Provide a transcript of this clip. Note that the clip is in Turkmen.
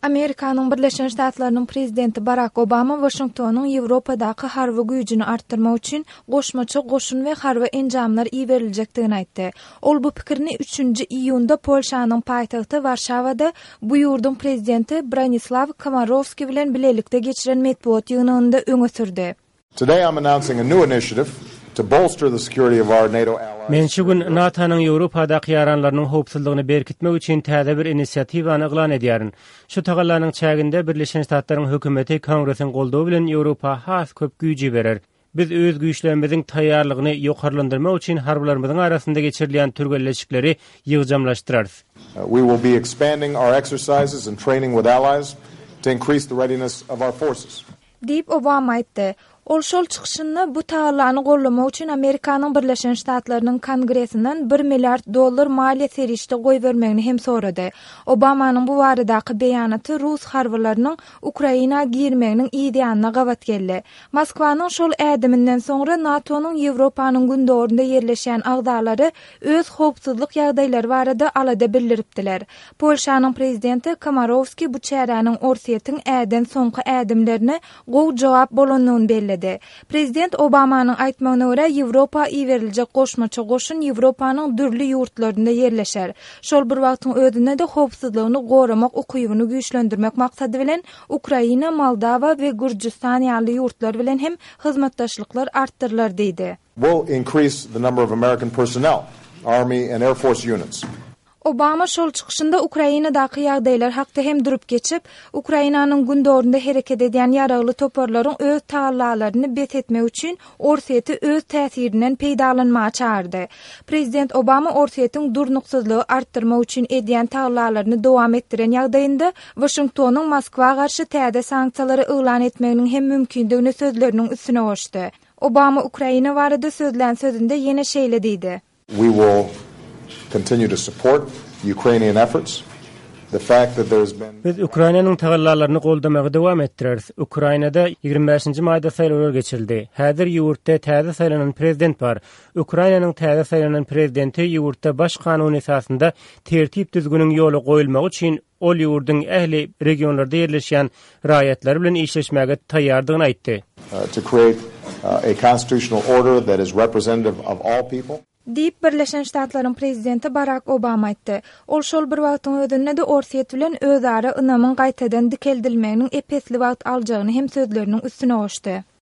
Amerikanyň Birleşen Ştatlarynyň prezidenti Barak Obama Waşingtonyň Ýewropadaky harby güýjüni artdyrmak üçin goşmaça goşun we harby enjamlar iberiljekdigini aýtdy. Ol bu pikirini üçünji iýunda Polşanyň paýtagty Warşawada bu ýurduň prezidenti Bronislaw Komorowskiý bilen bilelikde geçiren metbugat ýygnagynda öňe sürdi. Today I'm announcing a new initiative to bolster the security of our NATO allies. Men şu gün NATO-nyň Ýewropadaky ýaranlarynyň howpsuzlygyny berkitmek üçin täze bir inisiatiwany yglan edýärin. Şu tagallanyň çäginde Birleşen Ştatlaryň hökümeti Kongresiň goldawy bilen Ýewropa has köp güýç iberer. Biz öz güýçlerimiziň taýýarlygyny ýokarlandyrmak üçin harbylarymyzyň arasynda geçirilýän türgenleşikleri ýygjamlaşdyrarys. We will be expanding our exercises and training with allies to increase the readiness of our forces. Diýip, Obama aýtdy. Ol şol çykyşynda bu tagallany goldamak üçin Amerikanyň Birleşen Ştatlarynyň Kongresinden bir milliard dollar maliýe serişde goýbermegini hem sorady. Obamanyň bu baradaky beýanaty rus harbylarynyň Ukraina girmeginiň yz ýanyna gabat geldi. Moskwanyň şol ädiminden soňra NATO-nyň Ýewropanyň gündogarynda ýerleşýän agzalary öz howpsuzlyk ýagdaýlary barada alada bildiripdiler. Polşanyň prezidenti Komorowskiý bu çäräniň Orsýetiň äden soňky ädimlerine gowy jogap bolandygyny belledi. Prezident Obamanyň aýtmagyna görä, Ýewropa iberiljek goşmaça goşun Ýewropanyň dürli ýurtlarynda ýerleşer. Şol bir wagtyň özünde-de howpsuzlygyny goramak ukybyny güýçlendirmek maksady bilen Ukraina, Moldawa we Gürjüstan ýaly ýurtlar bilen hem hyzmatdaşlyklar artdyrylar diýdi. Will increase the number of American personnel, Army and Air Force units. Obama şol çykyşynda Ukrainadaky ýagdaýlar hakda hem durup geçip, Ukrainanyň gündogarynda hereket edýän ýaragly toparlaryň öz tagallalaryny bes etmek üçin Orsýeti öz täsirinden peýdalanmaga çagyrdy. Prezident Obama Orsýetiň durnuksyzlygy artdyrmak üçin edýän tagallalaryny dowam etdiren ýagdaýynda Waşingtonyň Moskwa garşy täze sanksiýalary yglan etmeginiň hem mümkindigini sözleriniň üstüne goşdy. Obama Ukraina barada sözlän sözünde ýene şeýle diýdi. We will continue to support Ukrainian efforts. The fact that there has been. Biz Ukrainanyň tagallalaryny goldamagy dowam etdireris. Ukrainada 25-nji maýda saýlawlar geçirildi. Häzir ýurtda täze saýlanan prezident bar. Ukrainanyň täze saýlanan prezidenti ýurtda baş kanun esasynda tertip-düzgüniň ýola goýulmagy üçin Ol ýurduň ähli regionlarda ýerleşýän raýatlary bilen işleşmäge taýýardygyny aýtdy. To create a constitutional order that is representative of all people. Diýip, Birleşen Ştatlaryň prezidenti Barak Obama aýtdy. Ol şol bir wagtyň özünde-de Orsýet bilen özara ynamyň gaýtadan dikeldilmeginiň ep-esli wagt aljagyny hem sözleriniň üstüne goşdy.